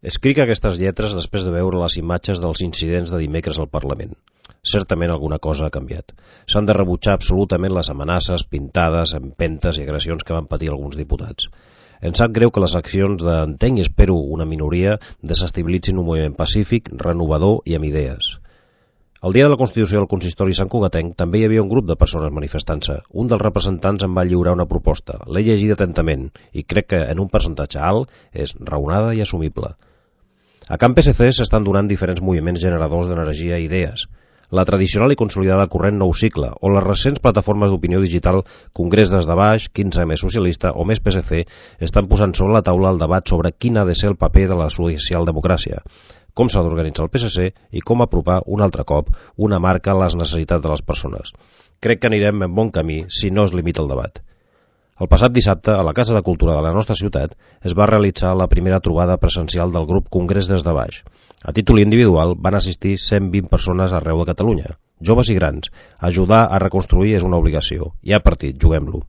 Escric aquestes lletres després de veure les imatges dels incidents de dimecres al Parlament. Certament alguna cosa ha canviat. S'han de rebutjar absolutament les amenaces, pintades, empentes i agressions que van patir alguns diputats. Em sap greu que les accions d'entenc i espero una minoria desestabilitzin un moviment pacífic, renovador i amb idees. El dia de la Constitució del Consistori Sant Cugatenc també hi havia un grup de persones manifestant-se. Un dels representants em va lliurar una proposta. L'he llegida atentament i crec que en un percentatge alt és raonada i assumible. A Camp PSC s'estan donant diferents moviments generadors d'energia i idees. La tradicional i consolidada corrent Nou Cicle o les recents plataformes d'opinió digital Congrés des de baix, 15M socialista o Més PSC estan posant sobre la taula el debat sobre quin ha de ser el paper de la socialdemocràcia, com s'ha d'organitzar el PSC i com apropar un altre cop una marca a les necessitats de les persones. Crec que anirem en bon camí si no es limita el debat. El passat dissabte, a la Casa de Cultura de la nostra ciutat, es va realitzar la primera trobada presencial del grup Congrés des de baix. A títol individual van assistir 120 persones arreu de Catalunya, joves i grans. Ajudar a reconstruir és una obligació. Hi ha partit, juguem-lo.